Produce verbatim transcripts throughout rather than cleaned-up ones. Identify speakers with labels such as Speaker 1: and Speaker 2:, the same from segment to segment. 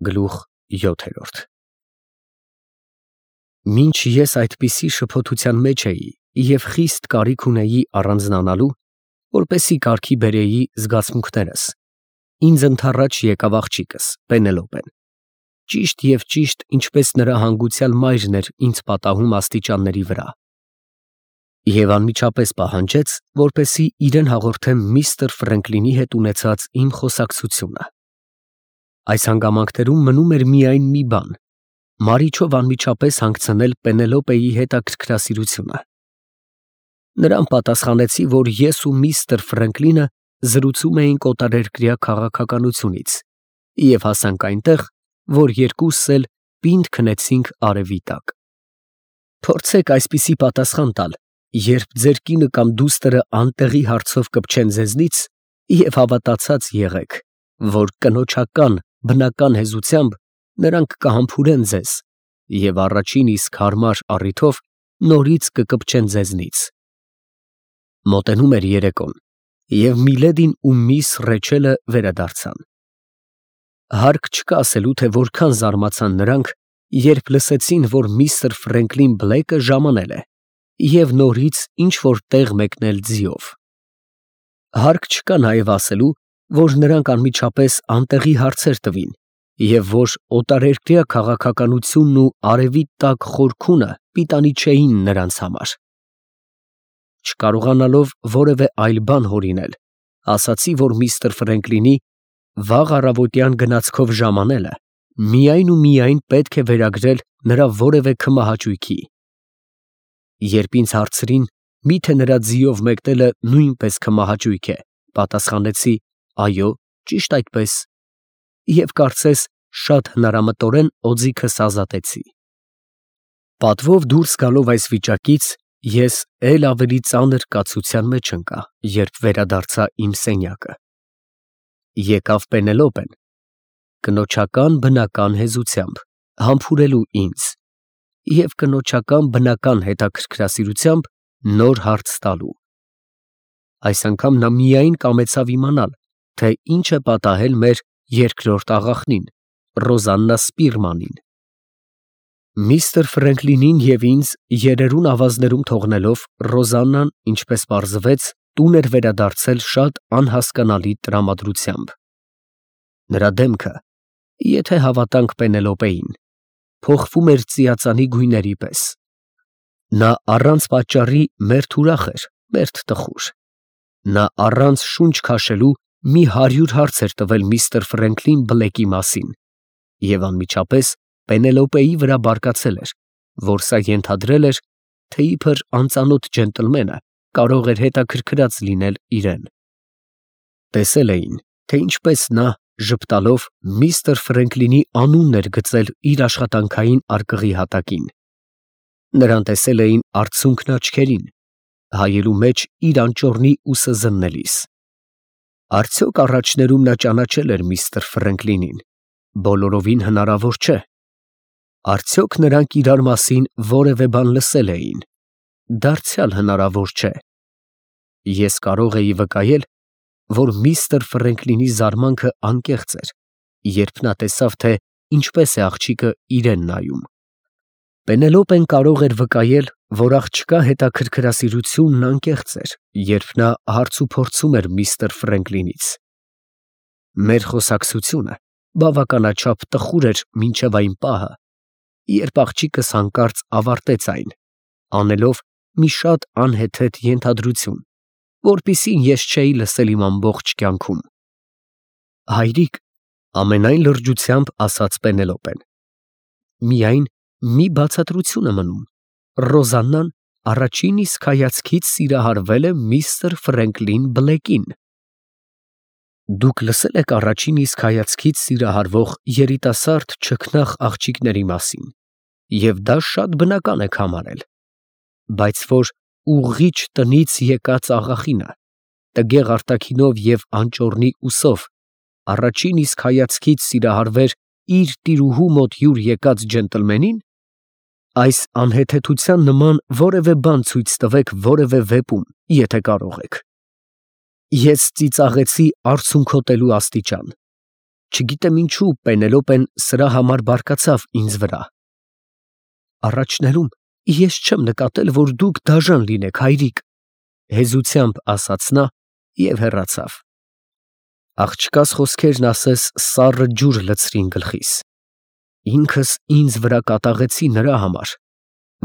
Speaker 1: Գլուխ յոթ Մինչ ես այդպիսի շփոթության մեջ էի և խիստ կարիք ունեի առանձնանալու, որպեսզի կարգի բերեի զգացմունքներս, ինձ ընդառաջ եկավ աղջիկս Պենելոպեն, ճիշտ և ճիշտ ինչպես նրա հանգուցյալ մայրն էր ինձ պատահում աստիճանների վրա, և անմիջապես պահանջեց, որպեսզի իրեն հաղորդեմ միստր Ֆրենկլինի հետ ունեցած իմ խոսակցությունը։ Այս հանգամանքներում մնում էր միայն մի բան. Մարիչով անմիջապես հանգցնել Պենելոպեի հետաքրքրասիրությունը։ Նրան պատասխանեցի, որ ես ու միստր Ֆրենկլինը զրուցում էինք օտարերկրյա քաղաքականությունից և հասանք այնտեղ, որ երկուսս էլ պինդ քնեցինք արևի տակ։ Փորձեք այսպիսի պատասխան տալ, երբ ձեր կինը կամ դուստրը անտեղի հարցով կպչեն ձեզնից, և հավատացած եղեք, որ կնոջական բնական հեզությամբ նրանք կհամբուրեն ձեզ և առաջին իսկ հարմար առիթով նորից կկպչեն ձեզնից։ Մոտենում էր երեկոն, և միլեդին ու միս Ռեչելը վերադարձան։ Հարկ չկա ասելու, թե որքան զարմացան նրանք, երբ լսեցին, որ միստր Ֆրենկլին Բլեքը ժամանել է և նորից ինչ֊որ տեղ մեկնել ձիով։ Հարկ չկա նաև ասելու, որ նրանք անմիջապես անտեղի հարցեր տվին, և որ օտարերկրյա քաղաքականությունն ու արևի տակ խորքունը պիտանի չէին նրանց համար։ Չկարողանալով որևէ այլ բան հորինել, ասացի, որ միստր Ֆրենկլինի վաղ առավոտյան գնացքով ժամանելը միայն ու միայն պետք է վերագրել նրա որևէ քմահաճույքի։ Երբ ինձ հարցրին, միթե նրա ձիով մեկնելը նույնպես քմահաճույք է, պատասխանեցի. այո, ճիշտ այդպես, և կարծես շատ հնարամտորեն օձիքս ազատեցի։ Պատվով դուրս գալով այս վիճակից, ես էլ ավելի ծանր կացության մեջ ընկա, երբ վերադարձա իմ սենյակը։ Եկավ Պենելոպեն, կնոջական բնական հեզությամբ, համբուրելու ինձ և կնոջական բնական հետաքրքրասիրությամբ նոր հարց տալու։ Այս անգամ նա միայն կամեցավ իմանալ, թե ինչ է պատահել մեր երկրորդ աղախնին, Ռոզաննա Սպիրմանին։ Միստր Ֆրենկլինին և ինձ երերուն ավազներում թողնելով, Ռոզաննան, ինչպես պարզվեց, տուն էր վերադարձել շատ անհասկանալի տրամադրությամբ։ Նրա դեմքը, եթե հավատանք Պենելոպեին, փոխվում էր ծիածանի գույների պես։ Նա առանց պատճառի մերթ ուրախ էր, մերթ տխուր։ Նա առանց շունչ քաշելու մի հարյուր հարց էր տվել միստր Ֆրենկլին Բլեկի մասին, և անմիջապես Պենելոպեի վրա բարկացել էր, որ սա ենթադրել էր, թե իբր անծանոթ ջենտլմենը կարող էր հետաքրքրած լինել իրան։ Տեսել էին, թե ինչպես նա, ժպտալով, միստր Ֆրենկլինի անունն էր գծել իր աշխատանքային արկղի հատակին։ Նրան տեսել էին արցունքն աչքերին, հայելու մեջ իր անճոռնի ուսը զննելիս։ Արդյոք առաջներում նա ճանաչել էր միստր Ֆրենկլինին։ Բոլորովին հնարավոր չէ։ Արդյոք նրանք իրար մասին որևէ բան լսել էին։ Դարձյալ հնարավոր չէ։ Ես կարող էի վկայել, որ միստր Ֆրենկլինի զարմանքը անկեղծ էր, երբ նա տեսավ, թե ինչպես է աղջիկը իրան նայում։ Պենելոպեն կարող էր վկայել, որ աղջկա հետաքրքրասիրությունն անկեղծ էր, երբ նա հարցուփորձում էր միստր Ֆրենկլինից։ Մեր խոսակցությունը բավականաչափ տխուր էր մինչև այն պահը, երբ աղջիկս հանկարծ ավարտեց այն, անելով մի շատ անհեթեթ ենթադրություն, որպիսին ես չէի լսել իմ ամբողջ կյանքում։ Հայրիկ, ամենայն լրջությամբ ասաց Պենելոպեն, միայն մի բացատրություն է մնում. Ռոզաննան առաջին իսկ հայացքից սիրահարվել է միստր Ֆրենկլին Բլեկին։ Դուք լսել եք առաջին իսկ հայացքից սիրահարվող երիտասարդ չքնաղ աղջիկների մասին, և դա շատ բնական եք համարել, բայց որ ուղղիչ տնից եկած աղախինը, տգեղ արտաքինով և անճոռնի ուսով, առաջին իսկ հայացքից սիրահարվեր իր տիրուհու մոտ հյուր եկած ջենտլմենին, այս անհեթեթության նման որևէ բան ցույց տվեք որևէ վեպում, եթե կարող եք։ Ես ծիծաղեցի արցունքոտելու աստիճան։ Չգիտեմ ինչու Պենելոպեն սրա համար բարկացավ ինձ վրա։ Առաջներում ես չեմ նկատել, որ դուք դաժան լինեք, հայրիկ, հեզությամբ ասաց նա և հեռացավ։ Աղջկաս խոսքերն ասես սառը ջուր լցրին գլխիս։ Ինքս ինձ վրա կատաղեցի նրա համար,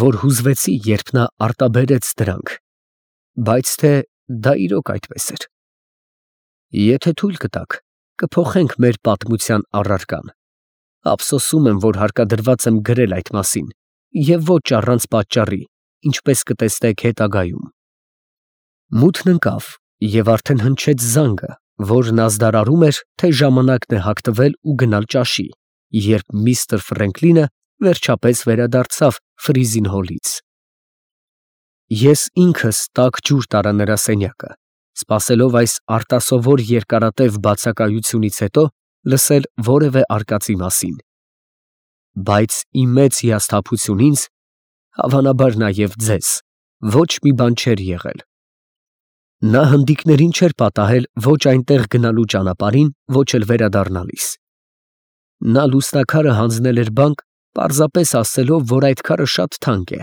Speaker 1: որ հուզվեցի, երբ նա արտաբերեց դրանք, բայց թե դա իրոք այդպես էր։ Եթե թույլ կտաք, կփոխենք մեր պատմության առարկան։ Ափսոսում եմ, որ հարկադրված եմ գրել այդ մասին, և ոչ առանց պատճառի, ինչպես կտեսնեք հետագայում։ Մութն ընկավ, և արդեն հնչեց զանգը, որն ազդարարում էր, թե ժամանակն է հագտվել ու գնալ ճաշի, երբ միստր Ֆրենկլինը վերջապես վերադարձավ Ֆրիզինհոլից։ Ես ինքս տաք ջուր տարա նրա սենյակը, սպասելով այս արտասովոր երկարատև բացակայությունից հետո լսել որևէ արկածի մասին։ Բայց իմ մեծ հիասթափություն ինձ, հավանաբար նաև ձեզ, ոչ մի բան չէր եղել։ Նա հնդիկներին չէր պատահել ոչ այնտեղ գնալու ճանապարհին, ոչ էլ վերադառնալիս։ Նա լուսնաքարը հանձնել էր բանկ, պարզապես ասելով, որ այդ քարը շատ թանկ է,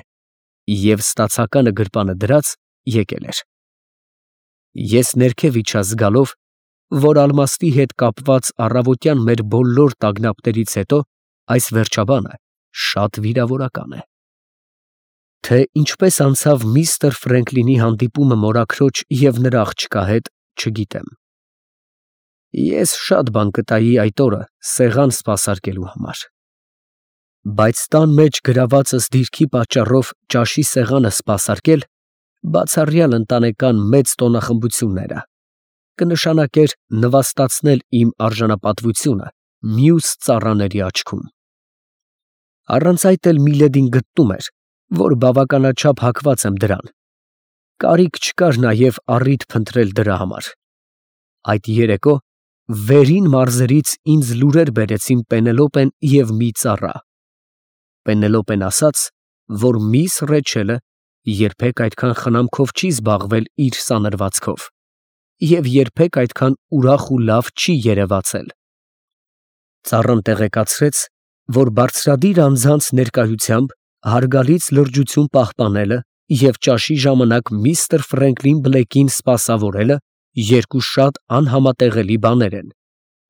Speaker 1: և ստացականը գրպանը դրած եկել էր։ Ես ներքև իջա զգալով, որ ալմաստի հետ կապված առավոտյան մեր բոլոր տագնապներից հետո այս վերջաբանը շատ վիրավորական է։ Թե ինչպես անցավ միստր Ֆրենկլինի հանդիպումը մորաքրոջ և նրա աղջկա հետ, չգիտեմ։ Ես շատ բան կտայի այդ օրը սեղան սպասարկելու համար։ Բայց տան մեջ գրավածս դիրքի պատճառով ճաշի սեղանը սպասարկել, բացառյալ ընտանեկան մեծ տոնախմբությունները, կնշանակեր նվաստացնել իմ արժանապատվությունը մյուս ծառաների աչքում։ Առանց այդ էլ Միլեդին գտնում էր, որ բավականաչափ հակված եմ դրան։ Կարիք չկար նաև առիթ փնտրել դրա համար։ Այդ երեկո վերին մարզերից ինձ լուրեր բերեցին Պենելոպեն և մի ծառա։ Պենելոպեն ասաց, որ միս Ռեչելը երբեք այդքան խնամքով չի զբաղվել իր սանրվածքով և երբեք այդքան ուրախ ու լավ չի երևացել։ Ծառան տեղեկացրեց, որ բարձրադիր անձանց ներկայությամբ հարգալից լրջություն պահպանելը և ճաշի ժամանակ միստր Ֆրենկլին Բլեքին սպասավորելը երկու շատ անհամատեղելի բաներ են,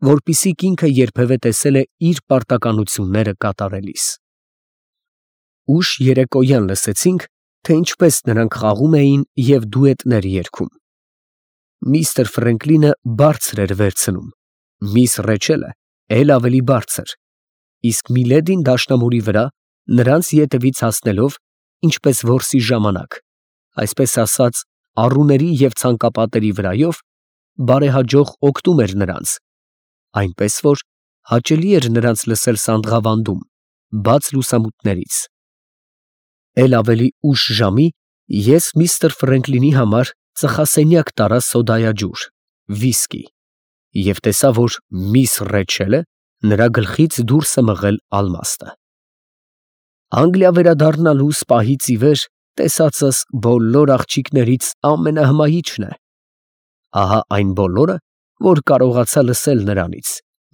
Speaker 1: որպիսիք ինքը երբևէ տեսել է իր պարտականությունները կատարելիս։ Ուշ երեկոյան լսեցինք, թե ինչպես նրանք խաղում էին և դուետներ երգում։ Միստր Ֆրենկլինը բարձր էր վերցնում, միս Ռեչելը էլ ավելի բարձր, իսկ Միլեդին դաշնամուրի վրա, նրանց ետևից հասնելով, ինչպես որսի ժամանակ, այսպես ասած, առուների և ցանկապատերի վրայով, բարեհաջող օգնում էր նրանց, այնպես որ հաճելի էր նրանց լսել սանդղավանդում, բաց լուսամուտներից։ Էլ ավելի ուշ ժամի ես միստր Ֆրենկլինի համար ծխասենյակ տարա սոդայաջուր, վիսկի, և տեսա, որ միս Ռեչելը նրա գլխից դուրս է մղել ալմաստը։ Անգլիա վերադառնալուս պահից ի վեր տեսածս բոլոր աղջիկներից ամենահմայիչն է։ Ահա այն բոլորը, որ կարողացա լսել նրանից,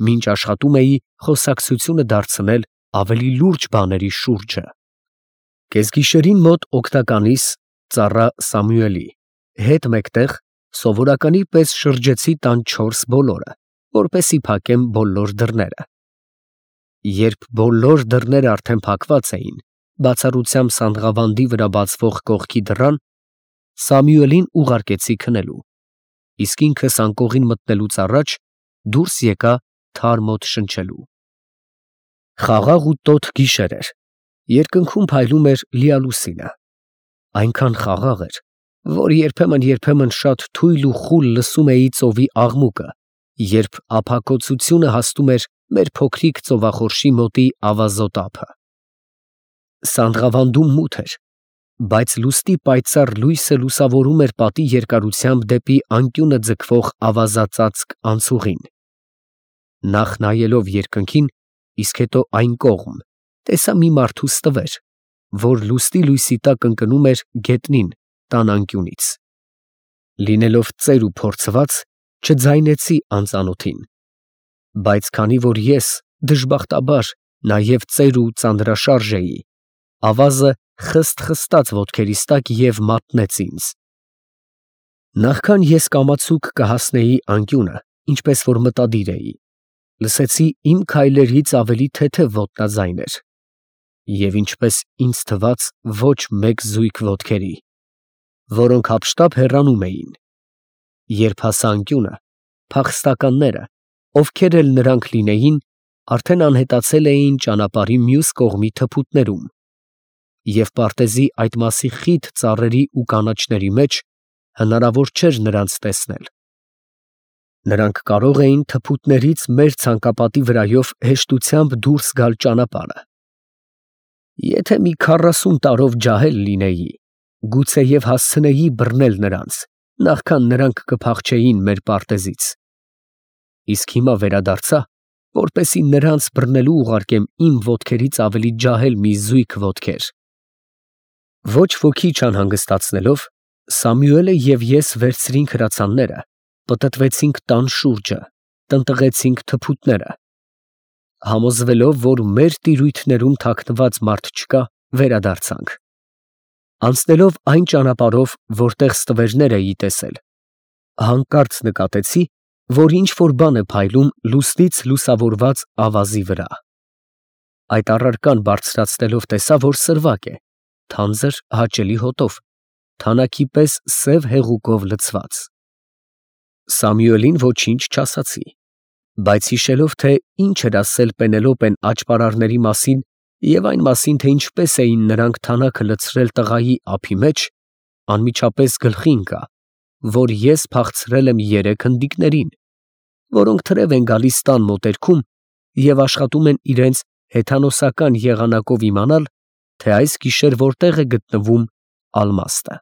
Speaker 1: մինչ աշխատում էի խոսակցությունը դարձնել ավելի լուրջ բաների շուրջը։ Կեսգիշերին մոտ օգնականիս, ծառա Սամուելի, հետ մեկտեղ սովորականի պես շրջեցի տան չորս բոլորը, որպեսզի փակեմ բոլոր դռները։ Երբ բոլոր դռները արդեն փակված էին, բացառությամբ սանդղավանդի վրա բացվող կողքի դռան, Սամուելին ուղարկեցի քնելու, իսկ ինքս անկողին մտնելուց առաջ դուրս եկա թարմոտ շնչելու։ Խաղաղ ու տոտ գիշեր էր, երկնքում փայլում էր լիալուսինը, այնքան խաղաղ էր, որ երբեմն֊երբեմն շատ թույլ ու խուլ լսում էի ծովի աղմուկը, երբ ափակոծությունը հասնում էր մեր փոքրիկ ծովախորշի մոտի ավազոտ ափը։ Սանդղավանդում մութ էր, բայց լուսնի պայծառ լույսը լուսավորում էր պատի երկարությամբ դեպի անկյունը ձգվող ավազածածկ անցուղին։ Նախ նայելով երկնքին, իսկ հետո այն կողմ, տեսա մի մարդու ստվեր, որ լուսնի լույսի տակ ընկնում էր գետնին տան անկյունից։ Լինելով ծեր ու փորձված, չձայնեցի անծանոթին։ Բայց քանի որ ես, դժբախտաբար, նաև ծեր ու ծանրաշարժ էի, ավազը խստ֊խստաց ոտքերիս տակ և մատնեց ինձ։ Նախքան ես կամացուկ կհասնեի անկյունը, ինչպես որ մտադիր էի, լսեցի իմ քայլերից ավելի թեթև ոտնաձայներ, և ինչպես ինձ թվաց ոչ մեկ զույգ ոտքերի, որոնք հափշտապ հեռանում էին. երբ հասա անկյունը, փախստականները, ովքեր էլ նրանք լինեին, արդեն անհետացել էին ճանապարհի մյուս կողմի թփուտներում, և պարտեզի այդ մասի խիտ ծառերի ու կանաչների մեջ հնարավոր չէր նրանց տեսնել. նրանք կարող էին թփուտներից մեր ցանկապատի վրայով հեշտությամբ դուրս գալ ճանապարհը։ Եթե մի քառասուն տարով ջահել լինեի, գուցեև հասցնեի բռնել նրանց, նախքան նրանք կփախչեին մեր պարտեզից, իսկ հիմա վերադարձա, որպեսզի նրանց բռնելու ուղարկեմ իմ ոտքերից ավելի ջահել մի զույգ ոտքեր։ Ոչ ոքի չանհանգստացնելով, Սամուելը և ես վերցրինք հրացանները, պտտվեցինք տան շուրջը, տնտղեցինք թփուտները, համոզվելով, որ մեր տիրույթներում թաքնված մարդ չկա, վերադարձանք։ Անցնելով այն ճանապարհով, որտեղ ստվերներ էի տեսել, հանկարծ նկատեցի, որ ինչ֊որ բան է փայլում լուսնից լուսավորված ավազի վրա։ Այդ առարկան բարձրացնելով տեսա, որ սրվակ է, թանձր հաճելի հոտով, թանաքի պես սև հեղուկով լցված։ Սամուելին ոչինչ չասացի, բայց հիշելով, թե ինչ էր ասել Պենելոպեն աճպարարների մասին և այն մասին, թե ինչպես էին նրանք թանաքը լցրել տղայի ափի մեջ, անմիջապես գլխի ընկա, որ ես փախցրել եմ երեք հնդիկներին, որոնք թրև են գալիս տան մոտերքում և աշխատում են իրենց հեթանոսական եղանակով իմանալ, թե այս գիշեր որտեղ է գտնվում ալմաստը։